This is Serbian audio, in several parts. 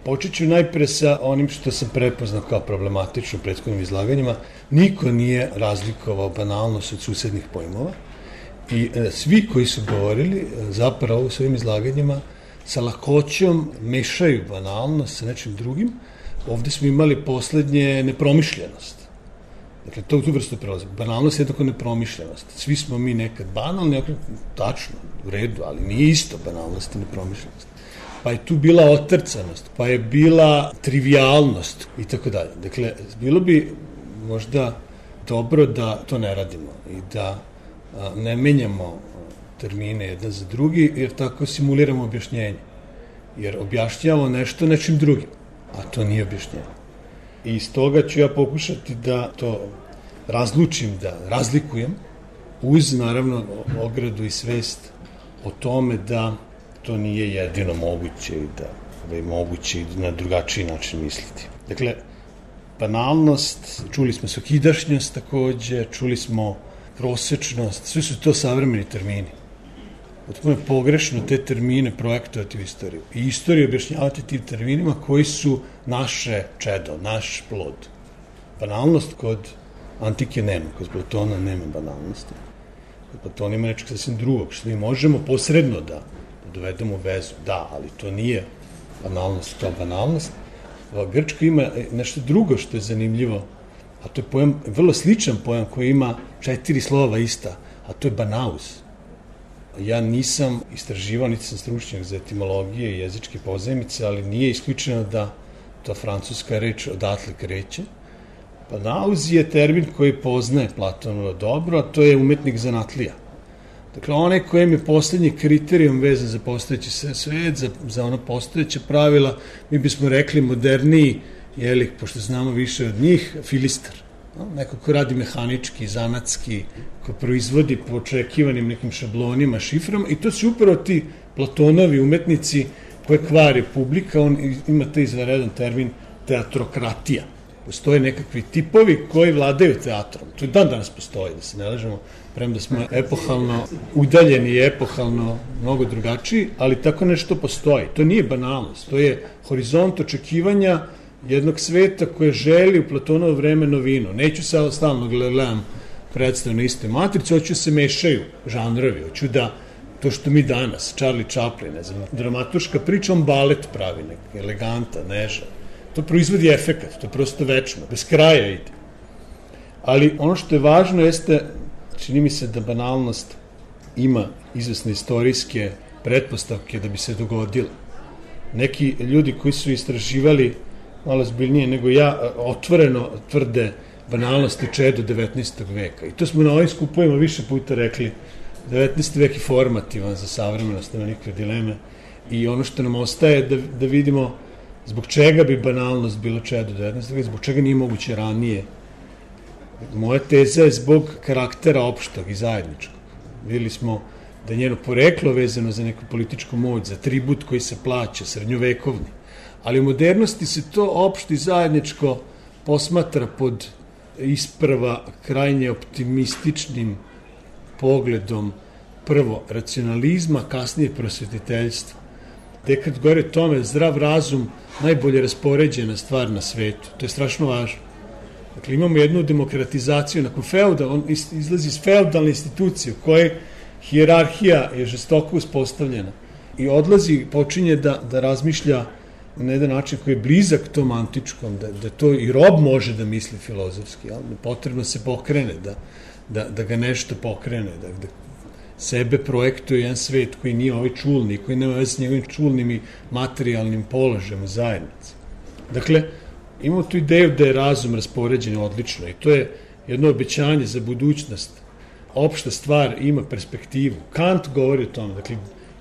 Počet ću najpre sa onim što sam prepoznao kao problematično u prethodnim izlaganjima. Niko nije razlikovao banalnost od susednih pojmova i svi koji su govorili zapravo u svojim izlaganjima sa lakoćom mešaju banalnost sa nečim drugim. Ovde smo imali poslednje nepromišljenost. Dakle, to u tu vrstu prelazi. Banalnost je jednako nepromišljenost. Svi smo mi nekad banalni, tačno, u redu, ali nije isto banalnost i nepromišljenost. Pa je tu bila otrcanost, pa je bila trivialnost i tako dalje. Dakle, bilo bi možda dobro da to ne radimo i da ne menjamo termine jedan za drugi, jer tako simuliramo objašnjenje. Jer objašnjavamo nešto nečim drugim, a to nije objašnjenje. I iz toga ću ja pokušati da to razlučim, da razlikujem, uz, naravno, ogradu i svest o tome da to nije jedino moguće i da je moguće i na drugačiji način misliti. Dakle, banalnost, čuli smo svakidašnjost takođe, čuli smo prosečnost, sve su to savremeni termini. Potpuno je pogrešno te termine projektovati u istoriju. I istoriju objašnjavati tim terminima koji su naše čedo, naš plod. Banalnost kod antike nema, kod Platona nema banalnosti. Kod Platona ima nečeg sasvim drugog, što mi možemo posredno da dovedemo vezu. Da, ali to nije banalnost kao banalnost. Grčka ima nešto drugo što je zanimljivo, a to je pojam, vrlo sličan pojam koji ima 4 slova ista, a to je banaus. Ja nisam istraživao, niti sam stručnjak za etimologije i jezičke pozajmice, ali nije isključeno da ta francuska reč odatle kreće. Banaus je termin koji poznaje Platonova dobro, a to je umetnik zanatlija. Dakle, onaj kojem je poslednji kriterijum vezan za postojeći svet, za ono postojeće pravila, mi bismo rekli moderniji, pošto znamo više od njih, filistar. Neko ko radi mehanički, zanatski, ko proizvodi po očekivanim nekim šablonima, šiframa, i to su upravo ti Platonovi umetnici koje kvari publika. On ima taj izvanredan termin teatrokratija. Postoje nekakvi tipovi koji vladaju teatrom. To dan danas postoji, da se ne lažemo, premda smo epohalno udaljeni i epohalno mnogo drugačiji, ali tako nešto postoji. To nije banalnost, to je horizont očekivanja jednog sveta koje želi u Platonovo vreme novinu. Neću sad stalno gledam predstavu na istoj matrici, hoću se mešaju žanrovi, hoću da to što mi danas, Charlie Chaplin, ne znam, dramaturška priča, on balet pravi, eleganta, neža. To proizvodi efekat, to je prosto večno, bez kraja ide. Ali ono što je važno jeste, čini mi se da banalnost ima izvesne istorijske pretpostavke da bi se dogodila. Neki ljudi koji su istraživali malo zbiljnije nego ja, otvoreno tvrde banalnost je čedo 19. veka. I to smo na ovim skupovima više puta rekli. 19. vek je formativan za savremenost, nema nikakve dileme. I ono što nam ostaje da vidimo zbog čega bi banalnost bilo čedo 19. veka, zbog čega nije moguće ranije. Moja teza je zbog karaktera opštog i zajedničkog. Videli smo da je njeno poreklo vezano za neku političku moć, za tribut koji se plaća, srednjovekovni. Ali u modernosti se to opšte i zajedničko posmatra pod isprva krajnje optimističnim pogledom prvo racionalizma, kasnije prosvetiteljstva. Dekad govori o tome zdrav razum najbolje raspoređena stvar na svetu. To je strašno važno. Dakle, imamo jednu demokratizaciju, nakon on izlazi iz feudalne institucije u kojoj hijerarhija je žestoko uspostavljena i odlazi, počinje da razmišlja na jedan način koji je blizak tom antičkom, da to i rob može da misli filozofski, ali potrebno se pokrene, da ga nešto pokrene, da sebe projektuje jedan svet koji nije ovaj čulni, koji nema veze s njegovim čulnim i materijalnim položajem u zajednici. Dakle, imamo tu ideju da je razum raspoređen odlično i to je jedno obećanje za budućnost. Opšta stvar ima perspektivu. Kant govori o tome, dakle,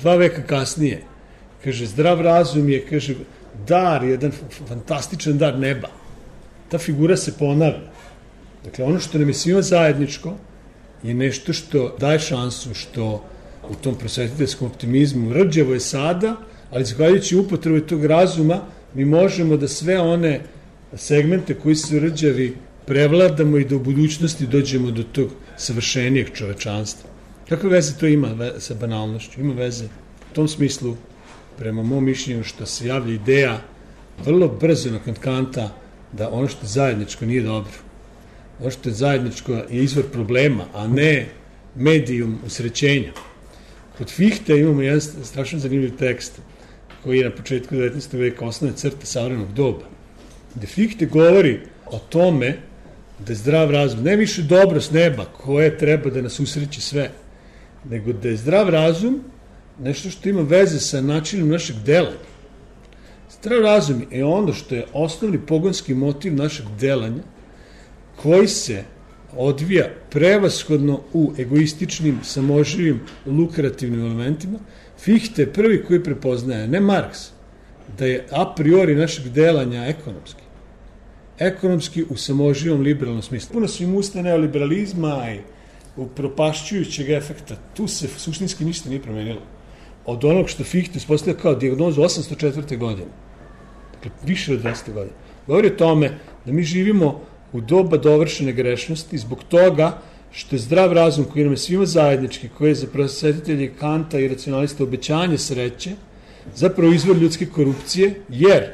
2 veka kasnije, kaže, zdrav razum je, kaže, dar, jedan fantastičan dar neba. Ta figura se ponavlja. Dakle, ono što nam je svima zajedničko je nešto što daje šansu, što u tom prosvetiteljskom optimizmu rđevo je sada, ali zahvaljujući upotrebi tog razuma, mi možemo da sve one segmente koji su rđavi prevladamo i da u budućnosti dođemo do tog savršenijeg čovečanstva. Kakve veze to ima sa banalnošću? Ima veze u tom smislu, prema mom mišljenju, što se javlja ideja vrlo brzo nakon Kanta da ono što je zajedničko nije dobro. Ono što je zajedničko je izvor problema, a ne medijum usrećenja. Kod Fichte imamo jedan strašno zanimljiv tekst koji je na početku 19. veka osnovne crte savremenog doba, gde Fichte govori o tome da je zdrav razum ne više dobro s neba koje treba da nas usreći sve, nego da je zdrav razum nešto što ima veze sa načinom našeg delanja. Zdrav razum je ono što je osnovni pogonski motiv našeg delanja, koji se odvija prevashodno u egoističnim, samoživim, lukrativnim elementima. Fichte je prvi koji prepoznaje, ne Marks, da je a priori našeg delanja ekonomski. Ekonomski u samoživom liberalnom smislu. Puno su im usta neoliberalizma i upropašćujućeg efekta. Tu se suštinski ništa nije promenilo. Od onog što Fichte uspostavlja kao dijagnozu 804. godine. Dakle, više od 200 godina. Govori o tome da mi živimo u doba dovršene grešnosti zbog toga što je zdrav razum koji nam je svima zajednički, koji je za prosvetitelje Kanta i racionalista obećanje sreće, zapravo izvor ljudske korupcije, jer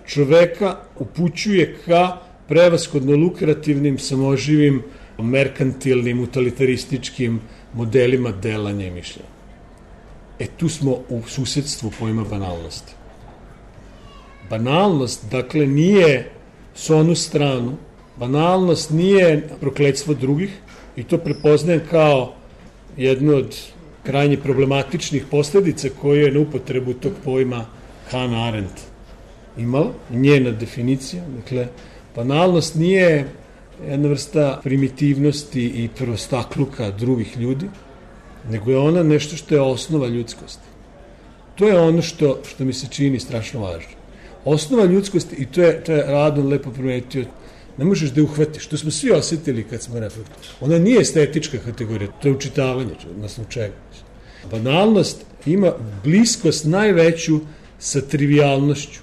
čoveka upućuje ka prevashodno lukrativnim, samoživim, merkantilnim, utilitarističkim modelima delanja i mišljenja. Tu smo u susedstvu pojma banalnosti. Banalnost, dakle, nije s onu stranu, banalnost nije prokletstvo drugih i to prepoznajem kao jednu od krajnje problematičnih posledica koje je na upotrebu tog pojma Hannah Arendt imala, njena definicija. Dakle, banalnost nije jedna vrsta primitivnosti i prostakluka drugih ljudi, nego je ona nešto što je osnova ljudskosti. To je ono što mi se čini strašno važno. Osnova ljudskosti, i to je Radon lepo primetio, ne možeš da je uhvatiš. To smo svi osjetili kad smo reflektovali. Ona nije estetička kategorija, to je učitavanje, odnosno čega. Banalnost ima bliskost najveću sa trivialnošću.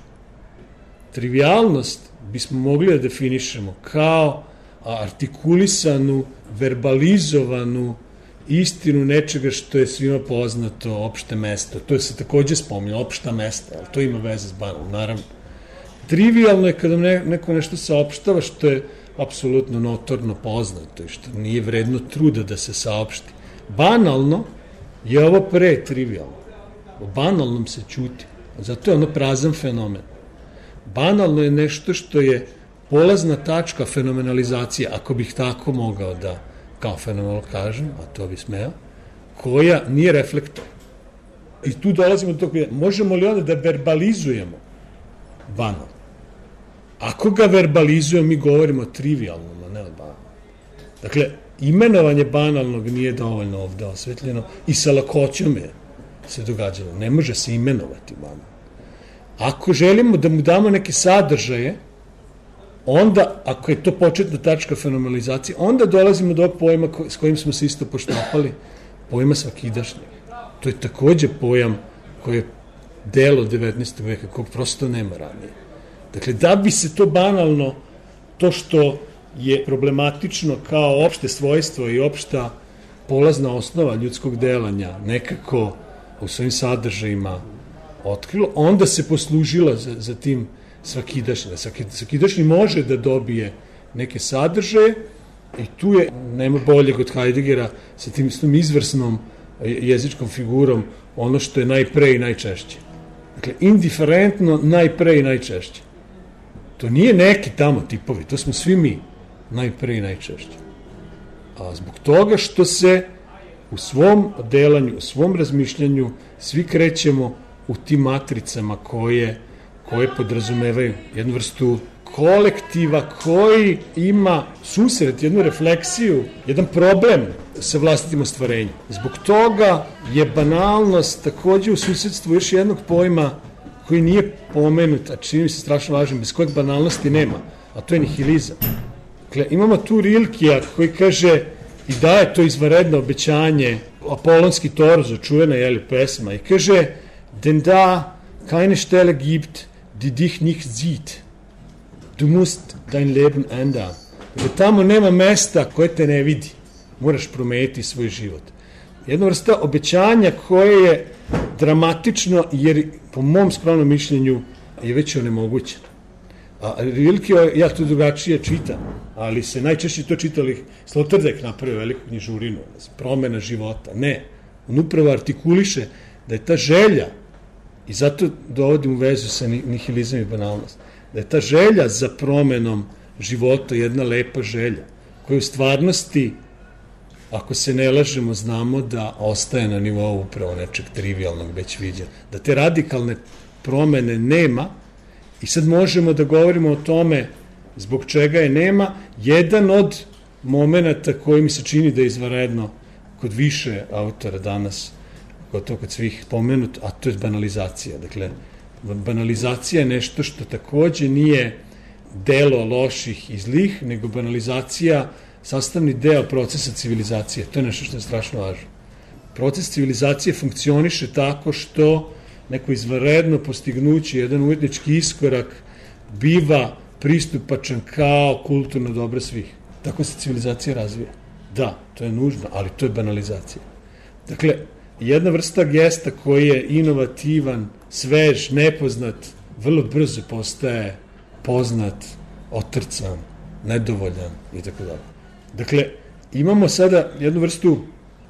Trivialnost bismo mogli da definišemo kao artikulisanu, verbalizovanu istinu nečega što je svima poznato, opšte mesto. To je se takođe spominje, opšta mesta, ali to ima veze s banalnom, naravno. Trivialno je kada neko nešto saopštava što je apsolutno notorno poznato i što nije vredno truda da se saopšti. Banalno je ovo pre trivialno. O banalnom se ćuti. Zato je ono prazan fenomen. Banalno je nešto što je polazna tačka fenomenalizacije, ako bih tako mogao da kao fenomenalno kažem, a to bi smeo, koja nije reflektor. I tu dolazimo do toga, možemo li onda da verbalizujemo banalno? Ako ga verbalizujemo, mi govorimo o trivialnom, a ne o banalnom. Dakle, imenovanje banalnog nije dovoljno ovde osvetljeno i sa lakoćom je se događalo. Ne može se imenovati banalno. Ako želimo da mu damo neke sadržaje, onda, ako je to početna tačka fenomenalizacije, onda dolazimo do ovog pojma s kojim smo se isto poštapali, pojma svakidašnjeg. To je takođe pojam koji je delo 19. veka, kog prosto nema ranije. Dakle, da bi se to banalno, to što je problematično kao opšte svojstvo i opšta polazna osnova ljudskog delanja, nekako u svojim sadržajima otkrilo, onda se poslužila za tim svakidašnji. Svakidašnji može da dobije neke sadržaje i tu je, nema boljeg od Heideggera, sa tim izvrsnom jezičkom figurom, ono što je najpre i najčešće. Dakle, indiferentno najpre i najčešće. To nije neki tamo tipovi, to smo svi mi najpre i najčešće. A zbog toga što se u svom delanju, u svom razmišljanju svi krećemo u tim matricama koje podrazumevaju jednu vrstu kolektiva koji ima susret, jednu refleksiju, jedan problem sa vlastitim ostvarenjem. Zbog toga je banalnost takođe u susedstvu još jednog pojma koji nije pomenut, a čini mi se strašno važno, bez kojeg banalnosti nema, a to je nihilizam. Dakle, imamo tu Rilkija koji kaže i daje to izvanredno obećanje, apolonski torzo, čuvena pesma, i kaže denn da keine Stelle gibt, die dich nicht sieht. Du musst dein Leben ändern. Dakle, tamo nema mesta koje te ne vidi. Moraš promeniti svoj život. Jedna vrsta obećanja koje je dramatično, jer po mom skromnom mišljenju je već onemogućeno. A Rilke, ja to drugačije čitam, ali se najčešće to čitali, Sloterdijk napravio veliku knjižurinu, promena života. Ne, on upravo artikuliše da je ta želja, i zato dovodim u vezu sa nihilizam i banalnost, da je ta želja za promenom života jedna lepa želja, koja u stvarnosti, ako se ne lažemo, znamo da ostaje na nivou upravo nečeg trivialnog već viđa. Da te radikalne promene nema i sad možemo da govorimo o tome zbog čega je nema. Jedan od momenta koji mi se čini da je izvanredno kod više autora danas, gotovo kod svih pomenut, a to je banalizacija. Dakle, banalizacija je nešto što takođe nije delo loših i zlih, nego banalizacija sastavni deo procesa civilizacije. To je nešto što je strašno važno. Proces civilizacije funkcioniše tako što neko izvanredno postignuće, jedan umetnički iskorak biva pristupačan kao kulturno dobro svih. Tako se civilizacija razvija. Da, to je nužno, ali to je banalizacija. Dakle, jedna vrsta gesta koji je inovativan, svež, nepoznat, vrlo brzo postaje poznat, otrcan, nedovoljan i tako dalje. Dakle, imamo sada jednu vrstu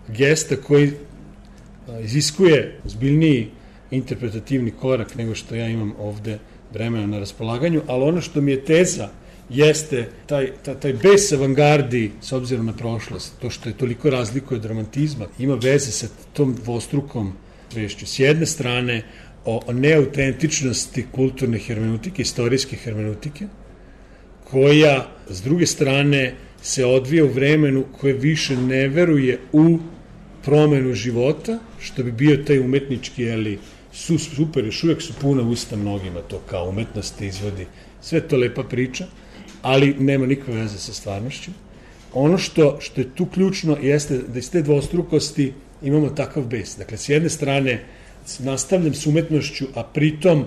gesta koji iziskuje ozbiljniji interpretativni korak nego što ja imam ovde vremena na raspolaganju, ali ono što mi je teza jeste taj bes avangardi s obzirom na prošlost, to što je toliko razlikuje od romantizma, ima veze sa tom dvostrukom svešću. S jedne strane, o neautentičnosti kulturne hermenutike, istorijske hermenutike, koja, s druge strane, se odvija u vremenu koje više ne veruje u promenu života, što bi bio taj umetnički, super, još uvek su puna usta mnogima to kao umetnost izvodi. Sve to lepa priča, ali nema nikakve veze sa stvarnošću. Ono što je tu ključno jeste da iz te dvostrukosti imamo takav bes. Dakle, s jedne strane nastavljam s umetnošću, a pritom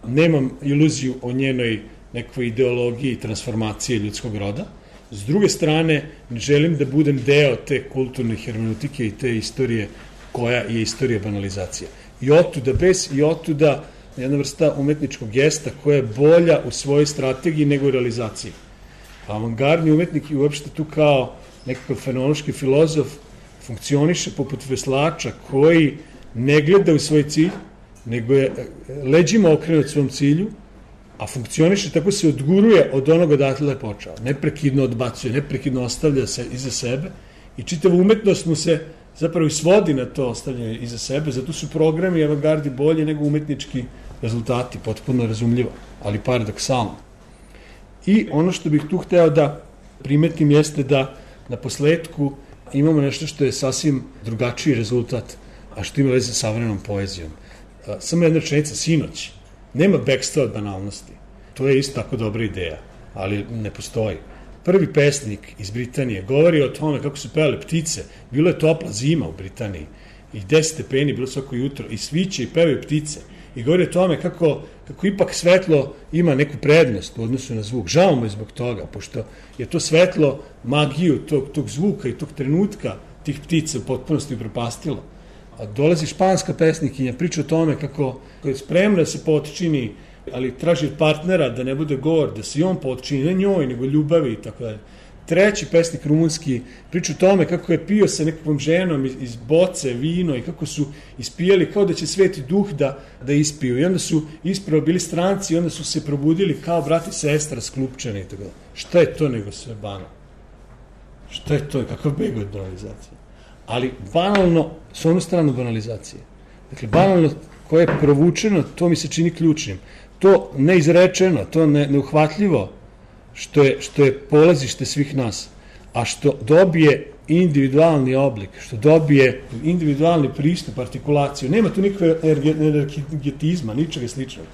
nemam iluziju o njenoj nekoj ideologiji i transformacije ljudskog roda. S druge strane, ne želim da budem deo te kulturne hermenutike i te istorije koja je istorija banalizacije. I otuda bes i otuda jedna vrsta umetničkog gesta koja je bolja u svojoj strategiji nego u realizaciji. Avangardni umetnik i uopšte tu kao nekakav fenomenološki filozof funkcioniše poput veslača koji ne gleda u svoj cilj, nego je leđima okrenut svom cilju, a funkcioniše tako se odguruje od onoga odatle je počeo. Neprekidno odbacuje, neprekidno ostavlja se iza sebe i čitava umetnost mu se zapravo i svodi na to ostavljanje iza sebe, zato su programi avangardi bolji nego umetnički rezultati, potpuno razumljivo, ali paradoksalno. I ono što bih tu hteo da primetim jeste da na posledku imamo nešto što je sasvim drugačiji rezultat, a što ima veze sa savremenom poezijom. Samo jedna rečenica, sinoć. Nema bekstva od banalnosti. To je isto tako dobra ideja, ali ne postoji. Prvi pesnik iz Britanije govori o tome kako su pevale ptice. Bilo je topla zima u Britaniji i 10 stepeni bilo svako jutro i sviće i pevaju ptice. I govori o tome kako ipak svetlo ima neku prednost u odnosu na zvuk. Žao mu je zbog toga, pošto je to svetlo magiju tog zvuka i tog trenutka tih ptica u potpunosti upropastilo. A dolazi španska pesnikinja, priča o tome kako je spremna da se potčini, ali traži od partnera da ne bude gor, da se i on potčini, ne njoj, nego ljubavi i tako dalje. Treći pesnik rumunski priča o tome kako je pio sa nekakvom ženom iz boce vino i kako su ispijali kao da će Sveti Duh da ispiju. I onda su ispravo bili stranci i onda su se probudili kao brat i sestra sklupčani i tako dalje. Šta je to nego sve banalno? Šta je to? Kakav beg od banalizacije? Ali banalno, s onu stranu banalizacije. Dakle, banalno koje je provučeno, to mi se čini ključnim. To neizrečeno, to neuhvatljivo, što je polazište svih nas, a što dobije individualni oblik, što dobije individualni pristup, artikulaciju. Nema tu nikakve energetizma, ničega sličnog,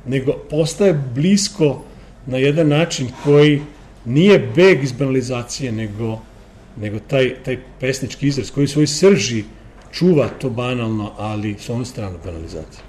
nego postaje blisko na jedan način koji nije beg iz banalizacije, nego taj pesnički izraz koji u svojoj srži čuva to banalno, ali s onu stranu banalizacije.